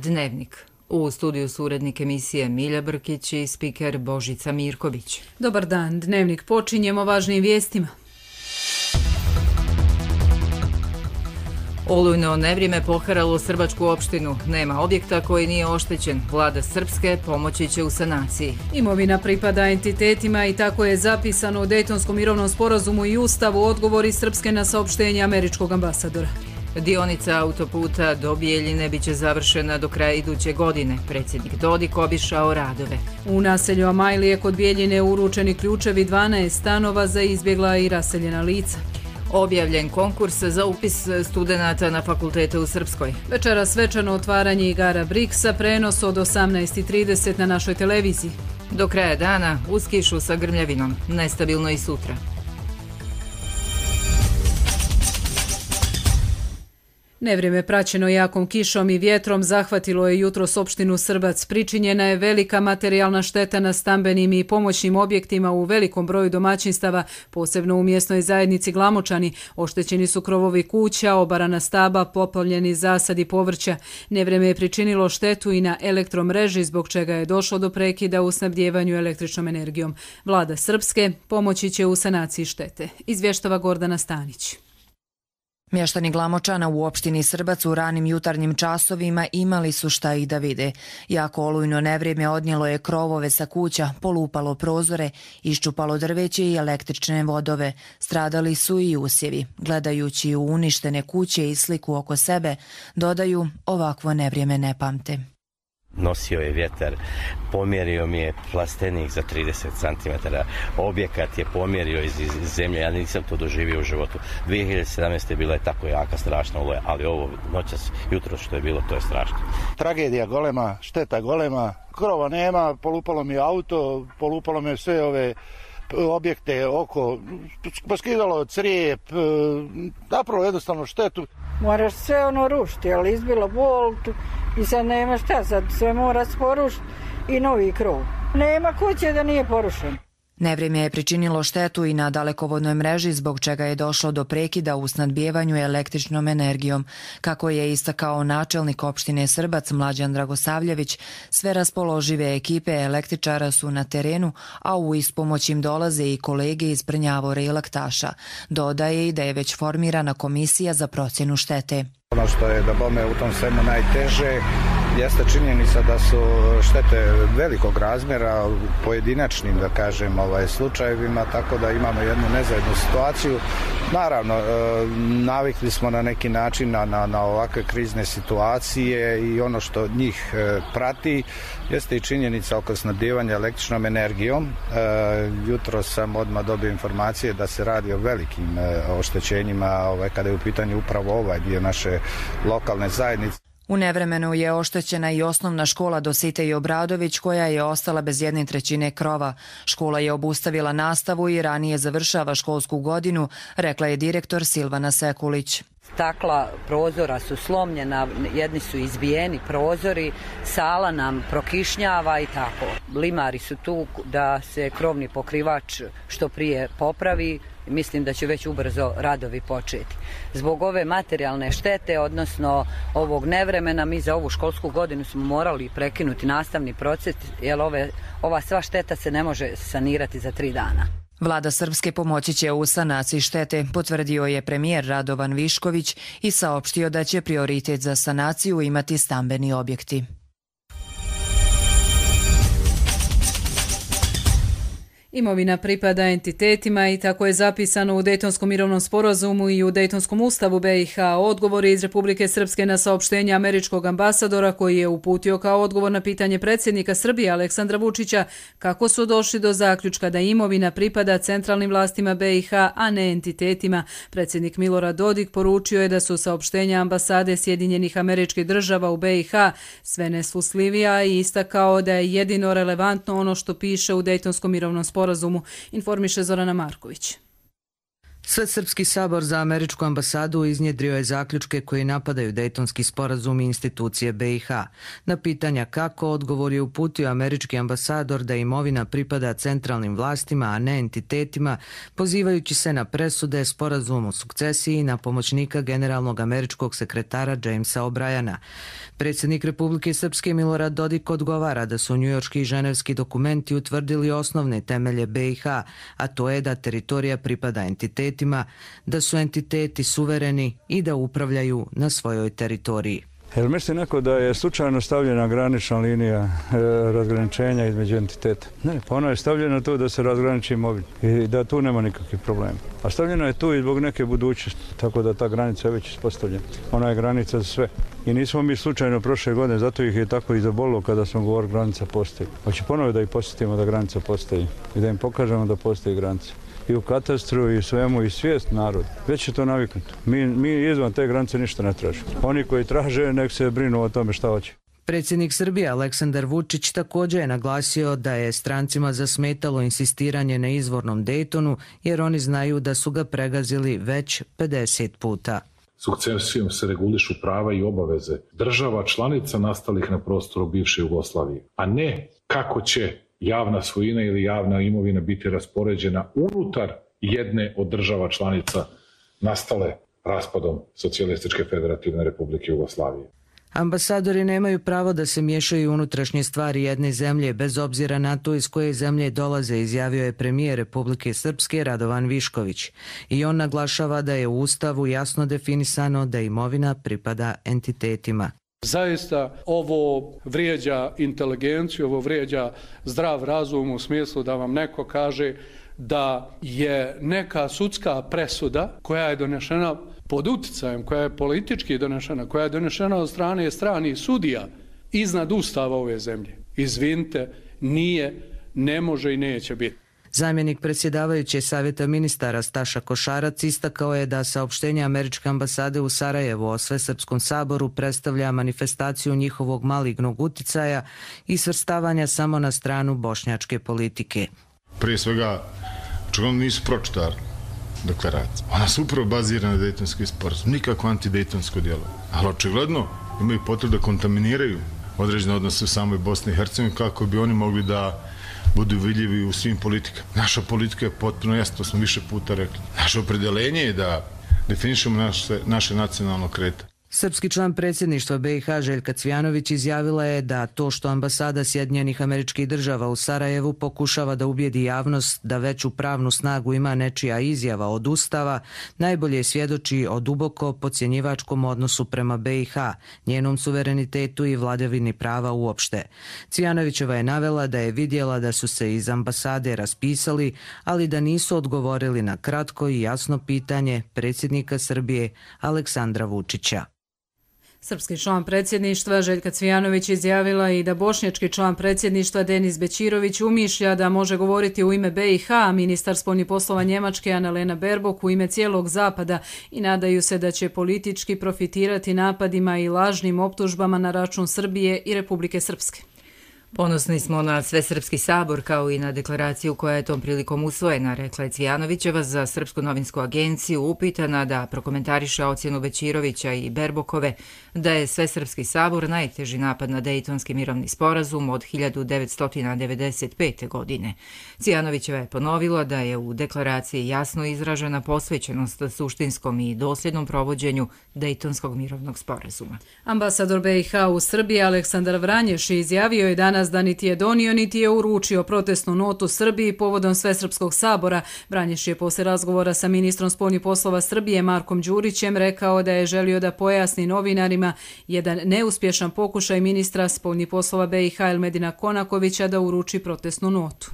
Dnevnik. U studiju su urednik emisije Milja Brkić i spiker Božica Mirković. Dobar dan, Dnevnik počinjemo važnim vijestima. Olujno nevrijeme poharalo Srbačku opštinu. Nema objekta koji nije oštećen. Vlada Srpske pomoći će u sanaciji. Imovina pripada entitetima i tako je zapisano u Dejtonskom mirovnom sporazumu i Ustavu odgovori Srpske na saopštenje američkog ambasadora. Dionica autoputa do Bijeljine biće završena do kraja iduće godine. Predsjednik Dodik obišao radove. U naselju Amajlije kod Bijeljine uručeni ključevi 12 stanova za izbjegla i raseljena lica. Objavljen konkurs za upis studenata na fakultete u Srpskoj. Večeras svečano otvaranje igara Briksa, prenos od 18:30 na našoj televiziji. Do kraja dana uz kišu sa grmljavinom. Nestabilno i sutra. Nevrijeme praćeno jakom kišom i vjetrom zahvatilo je jutros opštinu Srbac. Pričinjena je velika materijalna šteta na stambenim i pomoćnim objektima u velikom broju domaćinstava, posebno u mjesnoj zajednici Glamočani. Oštećeni su krovovi kuća, obarana staba, poplavljeni zasadi povrća. Nevrijeme je pričinilo štetu i na elektromreži, zbog čega je došlo do prekida u snabdjevanju električnom energijom. Vlada Srpske pomoći će u sanaciji štete, izvještava Gordana Stanić. Mještani Glamočana u opštini Srbac u ranim jutarnjim časovima imali su šta i da vide. Jako olujno nevrijeme odnijelo je krovove sa kuća, polupalo prozore, iščupalo drveće i električne vodove. Stradali su i usjevi. Gledajući u uništene kuće i sliku oko sebe, dodaju, ovakvo nevrijeme ne pamte. Nosio je vjetar, pomjerio mi je plastenik za 30 cm, objekat je pomjerio iz zemlje, ja nisam to doživio u životu. 2017. bila je tako jaka, strašna oluja, ali ovo noćas, jutro što je bilo, to je strašno. Tragedija golema, šteta golema, krova nema, polupalo mi auto, polupalo mi sve ove objekte oko, poskidalo crijep, napravo jednostavno štetu. Moraš sve rušiti, ali izbilo bolt i sad nema šta, sad sve mora porušiti i novi krov. Nema kuće da nije porušen. Nevrijeme je pričinilo štetu i na dalekovodnoj mreži, zbog čega je došlo do prekida u snadbijevanju električnom energijom. Kako je istakao načelnik opštine Srbac Mlađan Dragosavljević, sve raspoložive ekipe električara su na terenu, a u ispomoć im dolaze i kolege iz Prnjavora i Laktaša. Dodaje i da je već formirana komisija za procjenu štete. Ono što je da bome u tom svemu najteže jeste činjenica da su štete velikog razmjera u pojedinačnim, da kažem, slučajevima, tako da imamo jednu nezajednu situaciju. Naravno, navikli smo na neki način na ovakve krizne situacije i ono što njih prati jeste i činjenica oko snabdijevanja električnom energijom. Jutro sam odmah dobio informacije da se radi o velikim oštećenjima kada je u pitanju upravo ovaj dio naše lokalne zajednice. U nevremenu je oštećena i osnovna škola Dositej Obradović, koja je ostala bez 1/3 krova. Škola je obustavila nastavu i ranije završava školsku godinu, rekla je direktor Silvana Sekulić. Stakla prozora su slomljena, jedni su izbijeni prozori, sala nam prokišnjava i tako. Limari su tu da se krovni pokrivač što prije popravi. Mislim da će već ubrzo radovi početi. Zbog ove materijalne štete, odnosno ovog nevremena, mi za ovu školsku godinu smo morali prekinuti nastavni proces, jer ova sva šteta se ne može sanirati za 3 dana. Vlada Srpske pomoći će u sanaciji štete, potvrdio je premijer Radovan Višković i saopštio da će prioritet za sanaciju imati stambeni objekti. Imovina pripada entitetima i tako je zapisano u Dejtonskom mirovnom sporazumu i u Dejtonskom ustavu BiH. Odgovori iz Republike Srpske na saopštenje američkog ambasadora, koji je uputio kao odgovor na pitanje predsjednika Srbije Aleksandra Vučića kako su došli do zaključka da imovina pripada centralnim vlastima BiH, a ne entitetima. Predsjednik Milorad Dodik poručio je da su saopštenja ambasade Sjedinjenih Američkih Država u BiH sve nesluslivija i istakao da je jedino relevantno ono što piše u Dejtonskom mirovnom sporazumu, informiše Zorana Marković. Svesrpski sabor za američku ambasadu iznjedrio je zaključke koji napadaju Dejtonski sporazum i institucije BiH. Na pitanja kako, odgovor je uputio američki ambasador da imovina pripada centralnim vlastima, a ne entitetima, pozivajući se na presude, sporazum o sukcesiji i na pomoćnika generalnog američkog sekretara Jamesa O'Briana. Predsjednik Republike Srpske Milorad Dodik odgovara da su njujorški i ženevski dokumenti utvrdili osnovne temelje BiH, a to je da teritorija pripada entitetima, da su entiteti suvereni i da upravljaju na svojoj teritoriji. Jel misli neko da je slučajno stavljena granična linija razgraničenja između entiteta? Ne, pa ona je stavljena tu da se razgraniči imovina i da tu nema nikakvih problema. A stavljena je tu i zbog neke budućnosti, tako da ta granica je već ispostavljena. Ona je granica za sve. I nismo mi slučajno prošle godine, zato ih je tako i zabolilo kada smo govorili granica postoji. Hoće ponovo da ih posjetimo da granica postoji i da im pokažemo da postoji granica. I u katastru i svemu i svijest narod. Već je to naviknuto. Mi izvan te granice ništa ne tražimo. Oni koji traže nek se brinu o tome šta hoće. Predsjednik Srbije Aleksandar Vučić također je naglasio da je strancima zasmetalo insistiranje na izvornom Dejtonu jer oni znaju da su ga pregazili već 50 puta. Sukcesijom se regulišu prava i obaveze država članica nastalih na prostoru bivše Jugoslavije, a ne kako će javna svojina ili javna imovina biti raspoređena unutar jedne od država članica nastale raspadom Socijalističke federativne republike Jugoslavije. Ambasadori nemaju pravo da se miješaju u unutrašnje stvari jedne zemlje, bez obzira na to iz koje zemlje dolaze, izjavio je premijer Republike Srpske Radovan Višković. I on naglašava da je u Ustavu jasno definisano da imovina pripada entitetima. Zaista ovo vrijeđa inteligenciju, ovo vrijeđa zdrav razum u smislu da vam neko kaže da je neka sudska presuda koja je donešena pod uticajem, koja je politički donešena, koja je donešena od strane stranih sudija iznad Ustava ove zemlje. Izvinite, nije, ne može i neće biti. Zamjenik predsjedavajuće Savjeta ministara Staša Košarac istakao je da saopštenje američke ambasade u Sarajevu o Svesrpskom saboru predstavlja manifestaciju njihovog malignog uticaja i svrstavanja samo na stranu bošnjačke politike. Prije svega, očigledno nisu pročitali deklaraciju. Ona se upravo bazira na Dejtonski sporazum, nikako antidejtonsko djelo. Ali očigledno imaju potrebu da kontaminiraju određene odnose u samoj Bosni i Hercegovini kako bi oni mogli da budu vidljivi u svim politikama. Naša politika je potpuno jasna, to smo više puta rekli. Naše opredeljenje je da definišemo naše nacionalno kretanje. Srpski član predsjedništva BiH Željka Cvijanović izjavila je da to što ambasada Sjedinjenih Američkih Država u Sarajevu pokušava da ubijedi javnost da veću pravnu snagu ima nečija izjava od Ustava, najbolje svjedoči o duboko podcjenjivačkom odnosu prema BiH, njenom suverenitetu i vladavini prava uopšte. Cvijanovićeva je navela da je vidjela da su se iz ambasade raspisali, ali da nisu odgovorili na kratko i jasno pitanje predsjednika Srbije Aleksandra Vučića. Srpski član predsjedništva Željka Cvijanović izjavila i da bošnjački član predsjedništva Denis Bećirović umišlja da može govoriti u ime BiH, a ministar spoljnih poslova Njemačke Annalena Baerbock u ime cijelog Zapada i nadaju se da će politički profitirati napadima i lažnim optužbama na račun Srbije i Republike Srpske. Ponosni smo na Svesrpski sabor kao i na deklaraciju koja je tom prilikom usvojena, rekla je Cvijanovićeva za Srpsku novinsku agenciju, upitana da prokomentariše ocjenu Bećirovića i Berbokove da je Svesrpski sabor najteži napad na Dejtonski mirovni sporazum od 1995. godine. Cvijanovićeva je ponovila da je u deklaraciji jasno izražena posvećenost suštinskom i dosljednom provođenju Dejtonskog mirovnog sporazuma. Ambasador BiH u Srbiji Aleksandar Vranješ izjavio je danas da niti je donio niti je uručio protestnu notu Srbiji povodom Svesrpskog sabora. Vranješ je poslije razgovora sa ministrom spoljnih poslova Srbije Markom Đurićem rekao da je želio da pojasni novinarima jedan neuspješan pokušaj ministra spoljnih poslova BiH Elmedina Konakovića da uruči protestnu notu.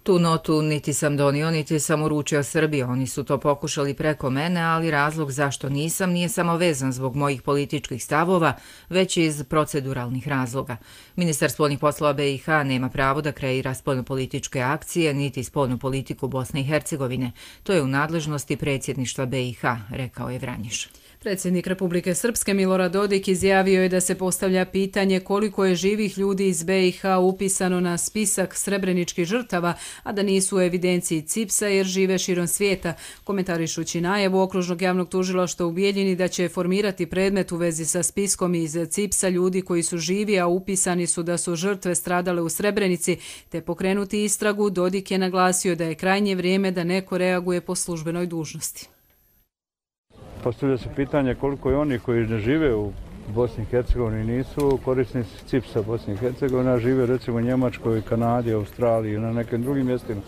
Tu notu niti sam donio, niti sam uručio Srbiji. Oni su to pokušali preko mene, ali razlog zašto nisam nije samo vezan zbog mojih političkih stavova, već i iz proceduralnih razloga. Ministar spoljnih poslova BiH nema pravo da kreira spoljnopolitičke akcije, niti spoljnu politiku Bosne i Hercegovine. To je u nadležnosti predsjedništva BiH, rekao je Vranješ. Predsjednik Republike Srpske Milorad Dodik izjavio je da se postavlja pitanje koliko je živih ljudi iz BiH upisano na spisak srebreničkih žrtava, a da nisu u evidenciji CIPS-a jer žive širom svijeta, komentarišući najavu Okružnog javnog tužilaštva u Bijeljini da će formirati predmet u vezi sa spiskom iz CIPS-a ljudi koji su živi, a upisani su da su žrtve stradale u Srebrenici, te pokrenuti istragu. Dodik je naglasio da je krajnje vrijeme da neko reaguje po službenoj dužnosti. Postavlja se pitanje koliko je oni koji ne žive u Bosni i Hercegovini nisu korisnici CIPS-a Bosni i Hercegovine, a žive recimo u Njemačkoj, Kanadi, Australiji i na nekim drugim mjestima,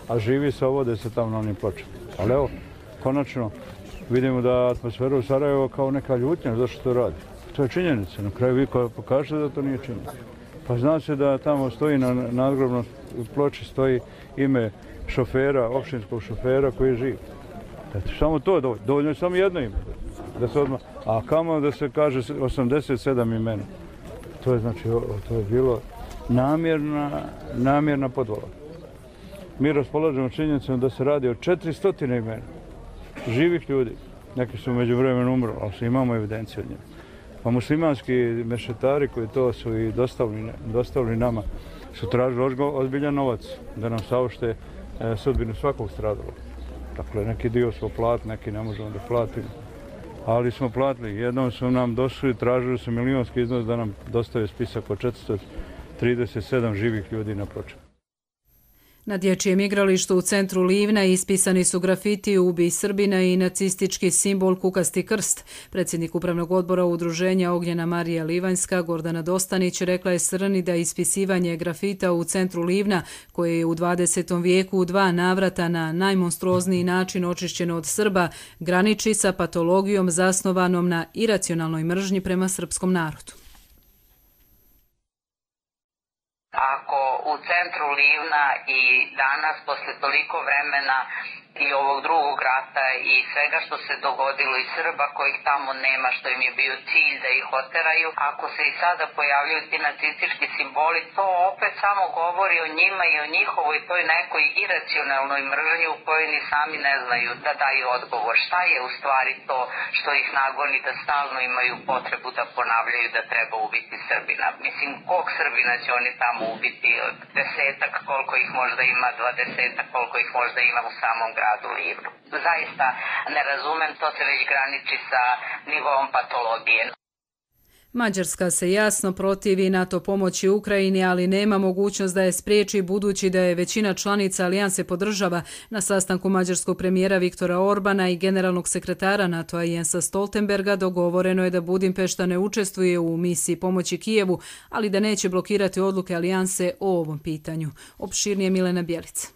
a živi se, vode se tamo na onim pločama. Ali evo, konačno vidimo da atmosfera u Sarajevo kao neka ljutnja, zašto to radi. To je činjenica, na kraju vi pokažete da to nije činjenica. Pa zna se da tamo stoji na nadgrobnoj ploči stoji ime šofera, općinskog šofera koji je živ. Samo to dovoljno je samo jedno ime. Da se odmah, a kamo da se kaže 87 imena. To je znači, to je bilo namjerna podvala. Mi raspolažemo činjenicom da se radi o 400 imena živih ljudi. Neki su među vremenu umrli, ali imamo evidenciju od njega. Pa muslimanski mešetari koji to su i dostavili nama su tražili ozbiljan novac da nam saopšte sudbinu svakog stradalog. Dakle, neki dio smo platili, neki ne možemo da platimo. Ali smo platili. Jednom su nam došli, tražili su milionski iznos da nam dostave spisak od 437 živih ljudi na pločama. Na dječjem igralištu u centru Livna ispisani su grafiti "Ubij Srbina" i nacistički simbol kukasti krst. Predsjednik Upravnog odbora Udruženja Ognjena Marija Livanjska, Gordana Dostanić, rekla je Srni da ispisivanje grafita u centru Livna, koje je u 20. vijeku u 2 navrata na najmonstruozniji način očišćeno od Srba, graniči sa patologijom zasnovanom na iracionalnoj mržnji prema srpskom narodu. Ako u centru Livna i danas, posle toliko vremena i ovog drugog rata i svega što se dogodilo i Srba kojih tamo nema, što im je bio cilj da ih oteraju, ako se i sada pojavljaju ti nacistički simboli, to opet samo govori o njima i o njihovoj toj nekoj iracionalnoj mržnji u kojoj ni sami ne znaju da daju odgovor. Šta je u stvari to što ih nagoni da stalno imaju potrebu da ponavljaju da treba ubiti Srbina? Mislim, kog Srbina će oni tamo ubiti? 10-ak, koliko ih možda ima, 20-ak, koliko ih možda ima u samom gradu Livnu. Zaista ne razumem, to se već graniči sa nivom patologije. Mađarska se jasno protivi NATO pomoći Ukrajini, ali nema mogućnost da je spriječi budući da je većina članica alijanse podržava. Na sastanku mađarskog premijera Viktora Orbana i generalnog sekretara NATO-a Jensa Stoltenberga dogovoreno je da Budimpešta ne učestvuje u misiji pomoći Kijevu, ali da neće blokirati odluke alijanse o ovom pitanju. Opširnije Milena Bjelica.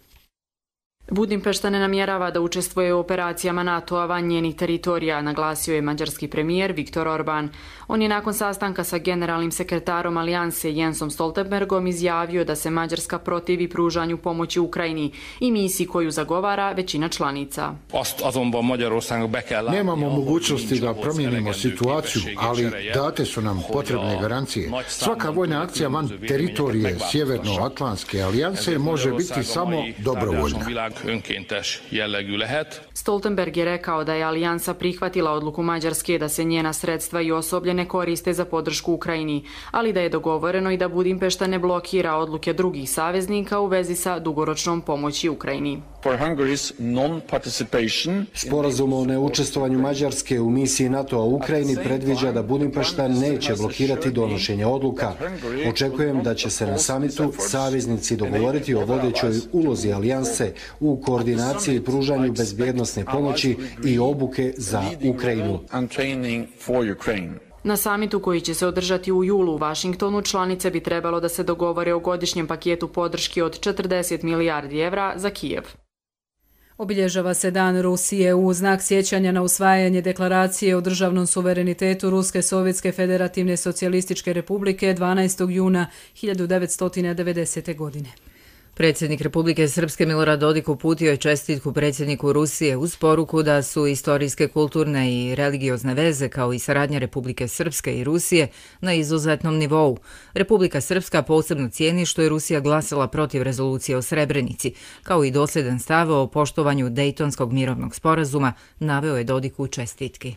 Budimpešta ne namjerava da učestvuje u operacijama NATO-a van njenih teritorija, naglasio je mađarski premijer Viktor Orban. On je nakon sastanka sa generalnim sekretarom alijanse Jensom Stoltenbergom izjavio da se Mađarska protivi pružanju pomoći Ukrajini i misiji koju zagovara većina članica. Nemamo mogućnosti da promijenimo situaciju, ali date su nam potrebne garancije. Svaka vojna akcija van teritorije Sjevernoatlantske alijanse može biti samo dobrovoljna. Stoltenberg je rekao da je alijansa prihvatila odluku Mađarske da se njena sredstva i osoblje ne koriste za podršku Ukrajini, ali da je dogovoreno i da Budimpešta ne blokira odluke drugih saveznika u vezi sa dugoročnom pomoći Ukrajini. Sporazum o neučestvovanju Mađarske u misiji NATO-a u Ukrajini predviđa da Budimpešta neće blokirati donošenje odluka. Očekujem da će se na samitu saveznici dogovoriti o vodećoj ulozi alijanse u koordinaciji i pružanju bezbjednosne pomoći i obuke za Ukrajinu. Na samitu koji će se održati u julu u Vašingtonu, članice bi trebalo da se dogovore o godišnjem paketu podrške od 40 milijardi evra za Kijev. Obilježava se Dan Rusije u znak sjećanja na usvajanje deklaracije o državnom suverenitetu Ruske Sovjetske Federativne Socijalističke Republike 12. juna 1990. godine. Predsjednik Republike Srpske Milorad Dodik uputio je čestitku predsjedniku Rusije uz poruku da su istorijske, kulturne i religiozne veze kao i saradnja Republike Srpske i Rusije na izuzetnom nivou. Republika Srpska posebno cijeni što je Rusija glasala protiv rezolucije o Srebrenici, kao i dosljedan stav o poštovanju Dejtonskog mirovnog sporazuma, naveo je Dodik u čestitki.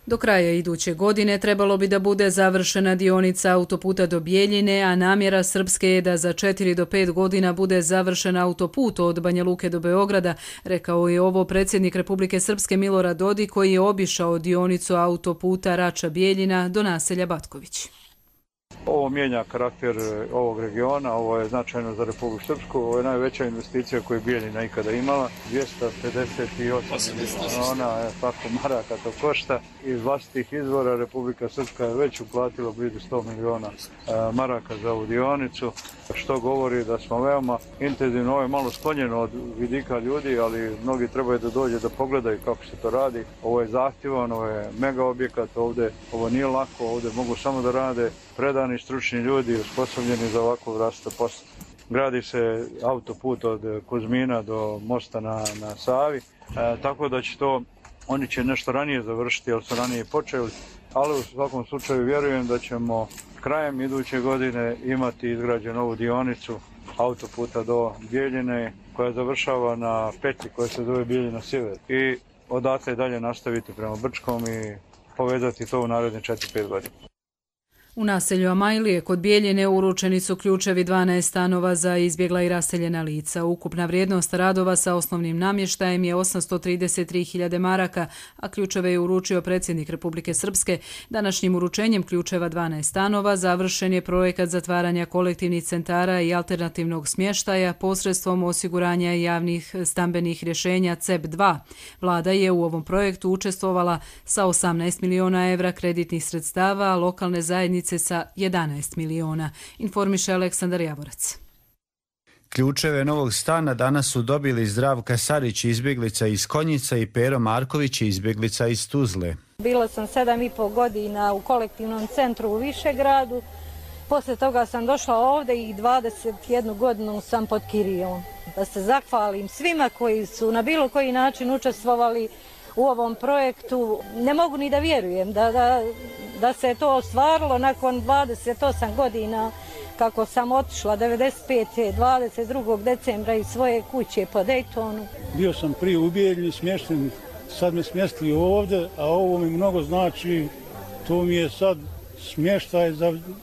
Do kraja iduće godine trebalo bi da bude završena dionica autoputa do Bijeljine, a namjera Srpske je da za 4 do 5 godina bude završen autoput od Banja Luke do Beograda, rekao je ovo predsjednik Republike Srpske Milorad Dodik koji je obišao dionicu autoputa Rača-Bijeljina do naselja Batković. Ovo mijenja karakter ovog regiona, ovo je značajno za Republiku Srpsku, ovo je najveća investicija koju je Bijeljina ikada imala, 258 miliona maraka to košta. Iz vlastitih izvora Republika Srpska je već uplatila blizu 100 miliona maraka za ovu dionicu, što govori da smo veoma intenzivno, ovo je malo sklonjeno od vidika ljudi, ali mnogi trebaju da dođe da pogledaju kako se to radi. Ovo je zahtjevan, ovo je mega objekat, ovdje ovo nije lako, ovdje mogu samo da rade predani stručni ljudi osposobljeni za ovakvu vrstu posla. Gradi se autoput od Kuzmina do mosta na Savi, tako da će to, oni će nešto ranije završiti, jer su ranije počeli, ali u svakom slučaju vjerujem da ćemo krajem iduće godine imati izgrađenu ovu dionicu autoputa do Bijeljine koja završava na petlji koja se zove Bijeljina Sjever i odatle dalje nastaviti prema Brčkom i povezati to u naredne 4-5 godina. U naselju Amajlije kod Bijeljine uručeni su ključevi 12 stanova za izbjegla i raseljena lica. Ukupna vrijednost radova sa osnovnim namještajem je 833.000 maraka, a ključeve je uručio predsjednik Republike Srpske. Današnjim uručenjem ključeva 12 stanova završen je projekat zatvaranja kolektivnih centara i alternativnog smještaja posredstvom osiguranja javnih stambenih rješenja CEP2. Vlada je u ovom projektu učestvovala sa 18 miliona evra kreditnih sredstava, a lokalne zajednice sa 11 miliona, informiše Aleksandar Javorac. Ključeve novog stana danas su dobili Zdravka Sarić, izbjeglica iz Konjica, i Pero Marković, izbjeglica iz Tuzle. Bila sam 7,5 godina u kolektivnom centru u Višegradu. Poslije toga sam došla ovdje i 21 godinu sam pod kirijom. Da se zahvalim svima koji su na bilo koji način učestvovali u ovom projektu. Ne mogu ni da vjerujem da se to ostvarilo nakon 28 godina kako sam otišla 95. 22. decembra iz svoje kuće po Daytonu. Bio sam prije u Bijeljini smješten, sad me smjestili ovdje, a ovo mi mnogo znači, to mi je sad smještaj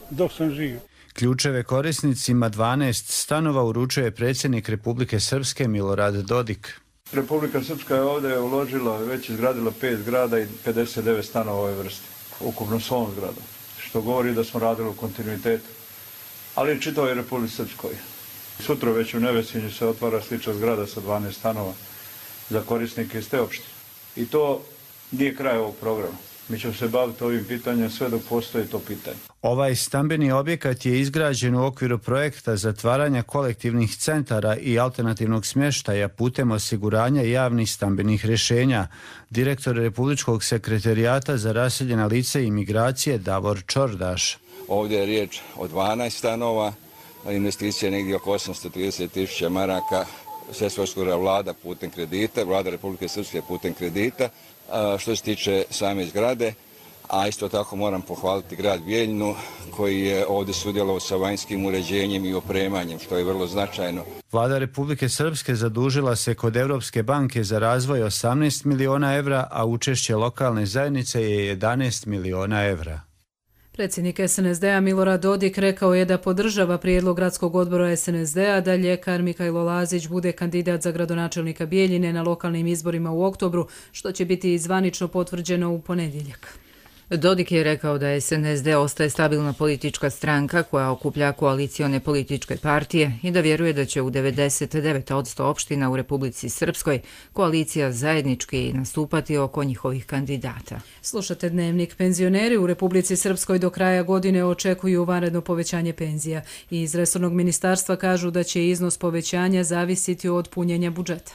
dok sam živ. Ključeve korisnicima 12 stanova uručuje predsjednik Republike Srpske Milorad Dodik. Republika Srpska je ovdje uložila, već izgradila 5 zgrada i 59 stanova ove vrste, ukupno s ovom zgradom, što govori da smo radili u kontinuitetu, ali čitavoj Republici Srpskoj. Sutra već u Nevesinju se otvara slična zgrada sa 12 stanova za korisnike iz te opštine. I to nije kraj ovog programa. Mi ćemo se baviti ovim pitanjem sve dok postoji to pitanje. Ovaj stambeni objekat je izgrađen u okviru projekta zatvaranja kolektivnih centara i alternativnog smještaja putem osiguranja javnih stambenih rješenja. Direktor Republičkog sekretarijata za raseljena lica i imigracije Davor Čordaš. Ovdje je riječ o 12 stanova, investicija je negdje oko 830.000 maraka, sve se osigurava vlada putem kredita, vlada Republike Srpske putem kredita. Što se tiče same zgrade, a isto tako moram pohvaliti grad Bijeljinu koji je ovdje sudjelovao sa vanjskim uređenjem i opremanjem, što je vrlo značajno. Vlada Republike Srpske zadužila se kod Europske banke za razvoj 18 miliona evra, a učešće lokalne zajednice je 11 miliona evra. Predsjednik SNSD-a Milorad Dodik rekao je da podržava prijedlog gradskog odbora SNSD-a da ljekar Mikajlo Lazić bude kandidat za gradonačelnika Bijeljine na lokalnim izborima u oktobru, što će biti zvanično potvrđeno u ponedjeljak. Dodik je rekao da SNSD ostaje stabilna politička stranka koja okuplja koalicione političke partije i da vjeruje da će u 99% opština u Republici Srpskoj koalicija zajednički nastupati oko njihovih kandidata. Slušate Dnevnik. Penzioneri u Republici Srpskoj do kraja godine očekuju vanredno povećanje penzija i iz resornog ministarstva kažu da će iznos povećanja zavisiti od punjenja budžeta.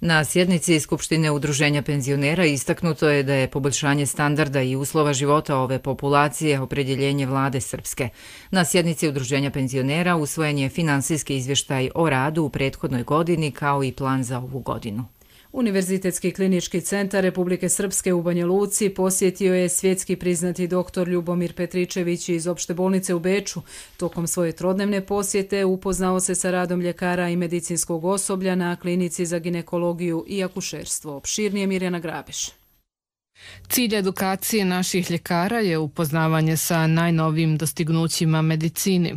Na sjednici Skupštine Udruženja penzionera istaknuto je da je poboljšanje standarda i uslova života ove populacije opredjeljenje vlade Srpske. Na sjednici Udruženja penzionera usvojen je finansijski izvještaj o radu u prethodnoj godini kao i plan za ovu godinu. Univerzitetski klinički centar Republike Srpske u Banja Luci posjetio je svjetski priznati doktor Ljubomir Petričević iz opšte bolnice u Beču. Tokom svoje trodnevne posjete upoznao se sa radom ljekara i medicinskog osoblja na klinici za ginekologiju i akušerstvo. Opširnije Mirjana Grabeš. Cilj edukacije naših ljekara je upoznavanje sa najnovijim dostignućima medicini,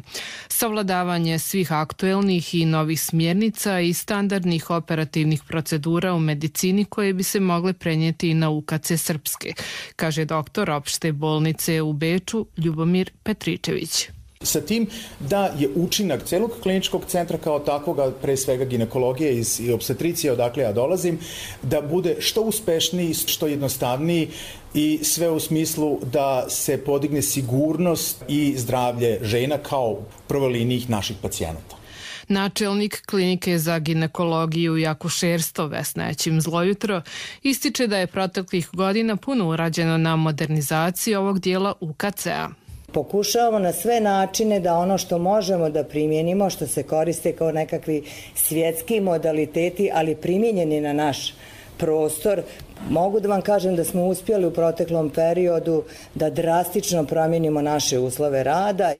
savladavanje svih aktuelnih i novih smjernica i standardnih operativnih procedura u medicini koje bi se mogle prenijeti i na UKC Srpske, kaže doktor opšte bolnice u Beču Ljubomir Petričević. Sa tim da je učinak celog kliničkog centra kao takvoga, pre svega ginekologije i opstetricije, odakle ja dolazim, da bude što uspešniji, što jednostavniji i sve u smislu da se podigne sigurnost i zdravlje žena kao prvoj liniji naših pacijenata. Načelnik klinike za ginekologiju i akušerstvo Vesna Ećim Zlojutro ističe da je proteklih godina puno urađeno na modernizaciji ovog dijela UKC-a. Pokušavamo na sve načine da ono što možemo da primijenimo, što se koriste kao nekakvi svjetski modaliteti, ali primijenjeni na naš prostor. Mogu da vam kažem da smo uspjeli u proteklom periodu da drastično promijenimo naše uslove rada.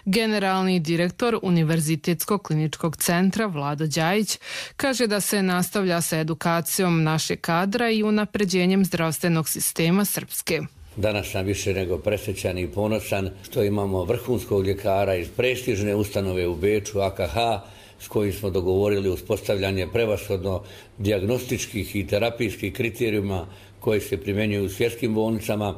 Generalni direktor Univerzitetskog kliničkog centra Vlado Đajić kaže da se nastavlja sa edukacijom našeg kadra i unapređenjem zdravstvenog sistema Srpske. Danas sam više nego presrećan i ponosan što imamo vrhunskog ljekara iz prestižne ustanove u Beču, AKH, s kojim smo dogovorili uspostavljanje prevashodno dijagnostičkih i terapijskih kriterijuma koji se primjenjuju u svjetskim bolnicama,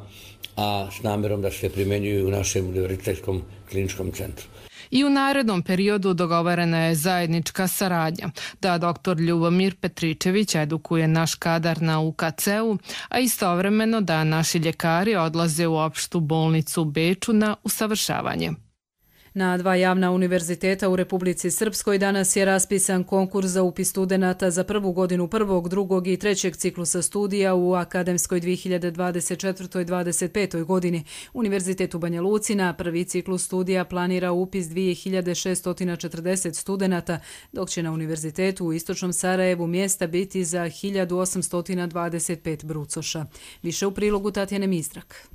a s namjerom da se primjenjuju u našem univerzitetskom kliničkom centru. I u narednom periodu dogovorena je zajednička saradnja da dr. Ljubomir Petričević edukuje naš kadar na UKC-u, a istovremeno da naši ljekari odlaze u opštu bolnicu u Beču na usavršavanje. Na 2 javna univerziteta u Republici Srpskoj danas je raspisan konkurs za upis studenata za prvu godinu 1., 2. i 3. ciklusa studija u akademskoj 2024-2025. godini. Univerzitet u Banja Luci na prvi ciklus studija planira upis 2640 studenata, dok će na univerzitetu u Istočnom Sarajevu mjesta biti za 1825 brucoša. Više u prilogu Tatjane Mistrak.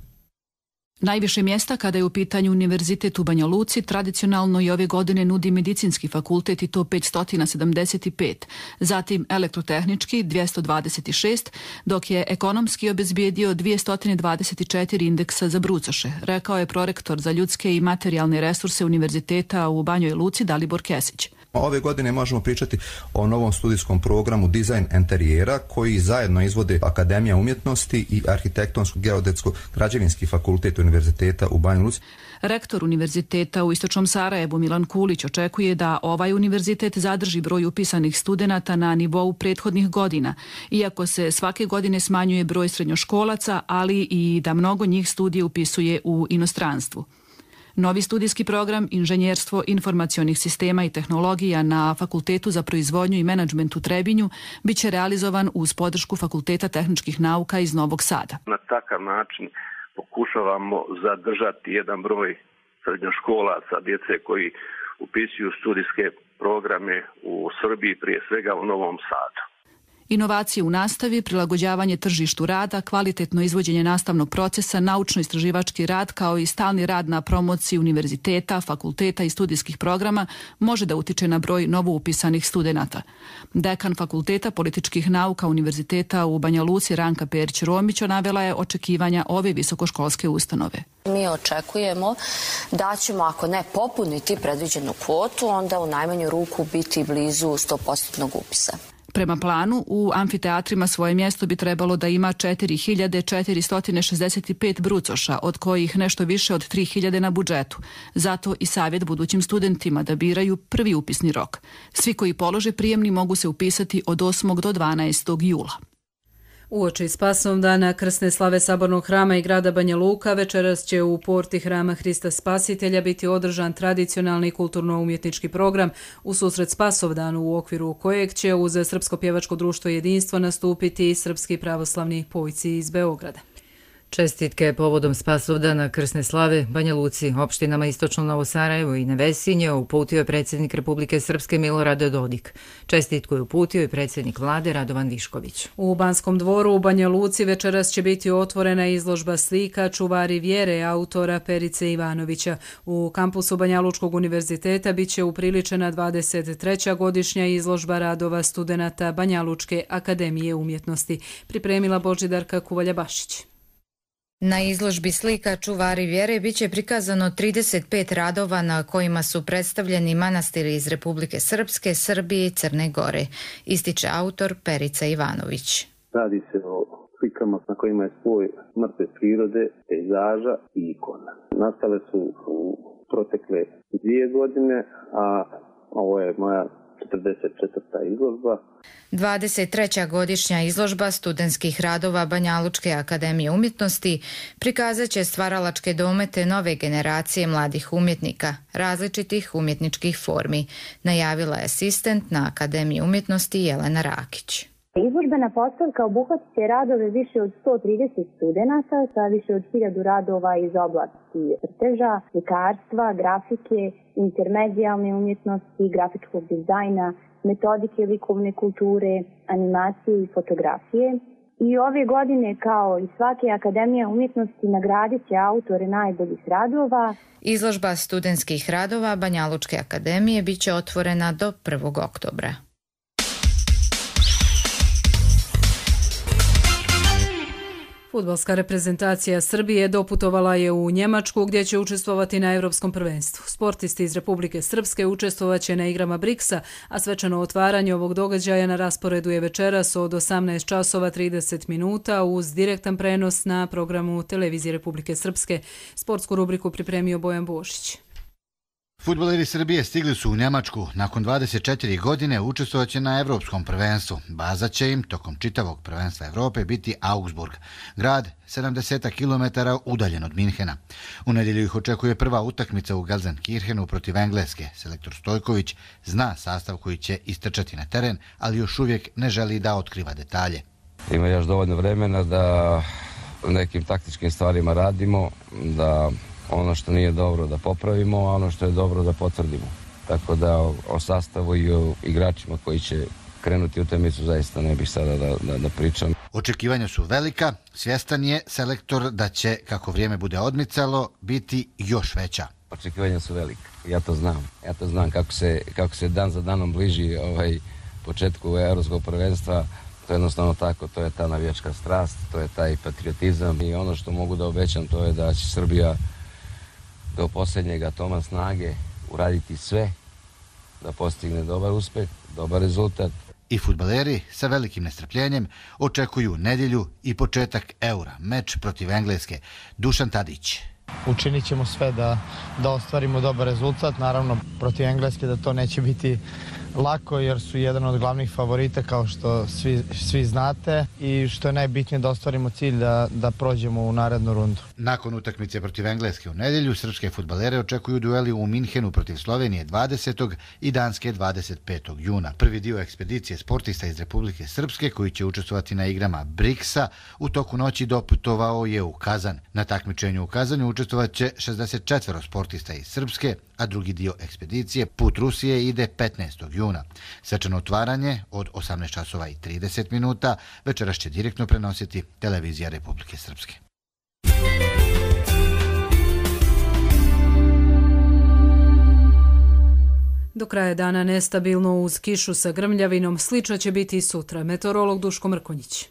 Najviše mjesta kada je u pitanju Univerzitet u Banja Luci tradicionalno i ove godine nudi medicinski fakultet i to 575, zatim elektrotehnički 226, dok je ekonomski obezbijedio 224 indeksa za brucoše, rekao je prorektor za ljudske i materijalne resurse Univerziteta u Banjoj Luci Dalibor Kesić. Ove godine možemo pričati o novom studijskom programu dizajn enterijera koji zajedno izvode Akademija umjetnosti i Arhitektonsko-geodetsko-građevinski fakultet Univerziteta u Banjoj Luci. Rektor Univerziteta u Istočnom Sarajevu Milan Kulić očekuje da ovaj univerzitet zadrži broj upisanih studenata na nivou prethodnih godina, iako se svake godine smanjuje broj srednjoškolaca, ali i da mnogo njih studije upisuje u inostranstvu. Novi studijski program Inženjerstvo informacionih sistema i tehnologija na Fakultetu za proizvodnju i menadžment u Trebinju biće realizovan uz podršku Fakulteta tehničkih nauka iz Novog Sada. Na takav način pokušavamo zadržati jedan broj srednjoškolaca, djece koji upisuju studijske programe u Srbiji, prije svega u Novom Sadu. Inovacije u nastavi, prilagođavanje tržištu rada, kvalitetno izvođenje nastavnog procesa, naučno-istraživački rad kao i stalni rad na promociji univerziteta, fakulteta i studijskih programa može da utiče na broj novoupisanih studenata. Dekan Fakulteta političkih nauka Univerziteta u Banja Luci Ranka Perić-Romić navela je očekivanja ove visokoškolske ustanove. Mi očekujemo da ćemo, ako ne popuniti predviđenu kvotu, onda u najmanju ruku biti blizu 100% upisa. Prema planu, u amfiteatrima svoje mjesto bi trebalo da ima 4465 brucoša, od kojih nešto više od 3000 na budžetu. Zato i savjet budućim studentima da biraju prvi upisni rok. Svi koji polože prijemni mogu se upisati od 8. do 12. jula. Uoči Spasovdana krsne slave Sabornog hrama i grada Banja Luka večeras će u porti hrama Hrista Spasitelja biti održan tradicionalni kulturno-umjetnički program u susret Spasovdanu, u okviru kojeg će uz Srpsko pjevačko društvo Jedinstvo nastupiti i srpski pravoslavni pojci iz Beograda. Čestitke povodom Spasovdana krsne slave Banja Luci, opštinama Istočno Novo Sarajevo i Nevesinje uputio je predsjednik Republike Srpske Milorad Dodik. Čestitku je uputio i predsjednik vlade Radovan Višković. U Banskom dvoru u Banja Luci večeras će biti otvorena izložba slika Čuvari vjere autora Perice Ivanovića. U kampusu Banja Lučkog univerziteta bit će upriličena 23. godišnja izložba radova studenata Banja Lučke akademije umjetnosti. Pripremila Božidarka Kuvalja Bašić. Na izložbi slika Čuvari vjere biće prikazano 35 radova na kojima su predstavljeni manastiri iz Republike Srpske, Srbije i Crne Gore, ističe autor Perica Ivanović. Radi se o slikama na kojima je spoj mrtve prirode, pejzaža i ikona. Nastale su u protekle 2 godine, a ovo je moja 44. izložba. 23. godišnja izložba studentskih radova Banjalučke akademije umjetnosti prikazat će stvaralačke domete nove generacije mladih umjetnika, različitih umjetničkih formi, najavila je asistent na Akademiji umjetnosti Jelena Rakić. Izložbena postavka obuhvatit će radove više od 130 studenata sa više od 1000 radova iz oblasti crteža, slikarstva, grafike, intermedijalne umjetnosti, grafičkog dizajna, metodike likovne kulture, animacije i fotografije. I ove godine, kao i svake Akademija umjetnosti, nagradit će autore najboljih radova. Izložba studentskih radova Banjalučke akademije bit će otvorena do 1. oktobra. Fudbalska reprezentacija Srbije doputovala je u Njemačku gdje će učestvovati na Europskom prvenstvu. Sportisti iz Republike Srpske učestvovat će na igrama BRICS-a, a svečano otvaranje ovog događaja na rasporedu je večeras od 18:30 uz direktan prenos na programu Televizije Republike Srpske. Sportsku rubriku pripremio Bojan Bošić. Fudbaleri Srbije stigli su u Njemačku. Nakon 24 godine učestvovat će na Evropskom prvenstvu. Baza će im tokom čitavog prvenstva Evrope biti Augsburg, grad 70 km udaljen od Minhena. U nedjelju ih očekuje prva utakmica u Gelsenkirchenu protiv Engleske. Selektor Stojković zna sastav koji će istrčati na teren, ali još uvijek ne želi da otkriva detalje. Ima još dovoljno vremena da nekim taktičkim stvarima radimo, da ono što nije dobro da popravimo, a ono što je dobro da potvrdimo. Tako da o sastavu i o igračima koji će krenuti u utakmicu zaista ne bih sada da pričam. Očekivanja su velika, svjestan je selektor da će, kako vrijeme bude odmicalo, biti još veća. Očekivanja su velika, ja to znam. Ja to znam kako se dan za danom bliži početku Evropskog prvenstva. To je jednostavno tako, to je ta navijačka strast, to je taj patriotizam i ono što mogu da obećam to je da će Srbija do posljednjeg atoma snage uraditi sve da postigne dobar uspeh, dobar rezultat. I fudbaleri sa velikim nestrpljenjem očekuju nedjelju i početak Eura, meč protiv Engleske. Dušan Tadić. Učinit ćemo sve da ostvarimo dobar rezultat, naravno protiv Engleske da to neće biti lako jer su jedan od glavnih favorita kao što svi znate i što je najbitnije da ostvarimo cilj da prođemo u narednu rundu. Nakon utakmice protiv Engleske u nedjelju, srpske fudbalere očekuju dueli u Minhenu protiv Slovenije 20. i Danske 25. juna. Prvi dio ekspedicije sportista iz Republike Srpske koji će učestvovati na igrama BRICS-a u toku noći doputovao je u Kazan. Na takmičenju u Kazanju učestvovat će 64 sportista iz Srpske, a drugi dio ekspedicije put Rusije ide 15. juna. Svečano otvaranje od 18:30 večeras će direktno prenositi Televizija Republike Srpske. Do kraja dana nestabilno uz kišu sa grmljavinom, slično će biti i sutra. Meteorolog Duško Mrkonjić.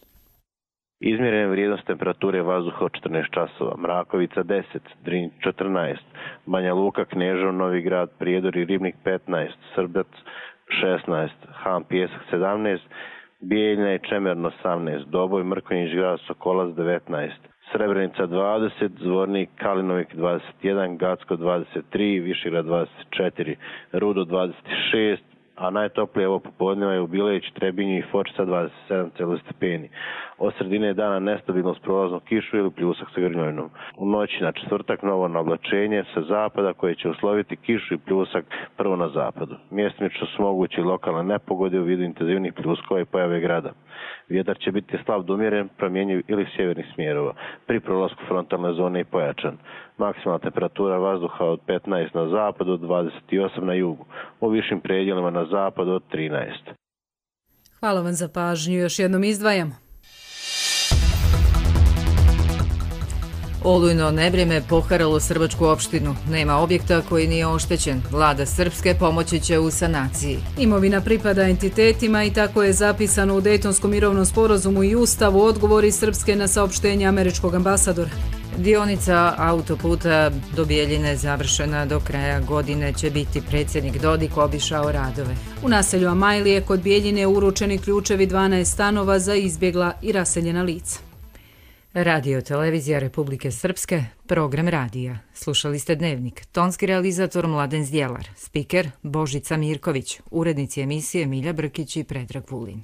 Izmjerene vrijednost temperature vazduha od 14 časova, Mrakovica 10, Drinj 14, Banja Luka, Kneževo, Novi Grad, Prijedor i Ribnik 15, Srbac 16, Han Pijesak 17, Bijeljina i Čemerno 18, Doboj, Mrkonjić, Grad Sokolac 19, Srebrenica 20, Zvornik, Kalinovik 21, Gacko 23, Višegrad 24, Rudo 26, a najtoplije ovo popodneva je u Bilejić, Trebinju i Foči sa 27 stepeni. Od sredine dana nestabilno s prolaznom kišu ili pljusak sa grmljavinom. U noći na četvrtak novo nablačenje sa zapada koje će usloviti kišu i pljusak prvo na zapadu. Mjestimično su mogući lokalne nepogode u vidu intenzivnih pljuskova i pojave grada. Vjetar će biti slab do umjeren, promjenjiv ili sjevernih smjerova. Pri prolasku frontalne zone i pojačan. Maksimalna temperatura vazduha od 15 na zapadu, od 28 na jugu. U višim predjelima na zapadu od 13. Hvala vam za pažnju. Još jednom izdvajamo. Olujno nevrijeme poharalo Srbačku opštinu. Nema objekta koji nije oštećen. Vlada Srpske pomoći će u sanaciji. Imovina pripada entitetima i tako je zapisano u Dejtonskom mirovnom sporazumu i Ustavu. Odgovori Srpske na saopštenje američkog ambasadora. Dionica autoputa do Bijeljine završena do kraja godine će biti predsjednik Dodik obišao radove. U naselju Amajlije kod Bijeljine uručeni ključevi 12 stanova za izbjegla i raseljena lica. Radio televizija Republike Srpske, program radija. Slušali ste Dnevnik. Tonski realizator Mladen Zdjelar, spiker Božica Mirković, urednici emisije Milja Brkić i Predrag Vulin.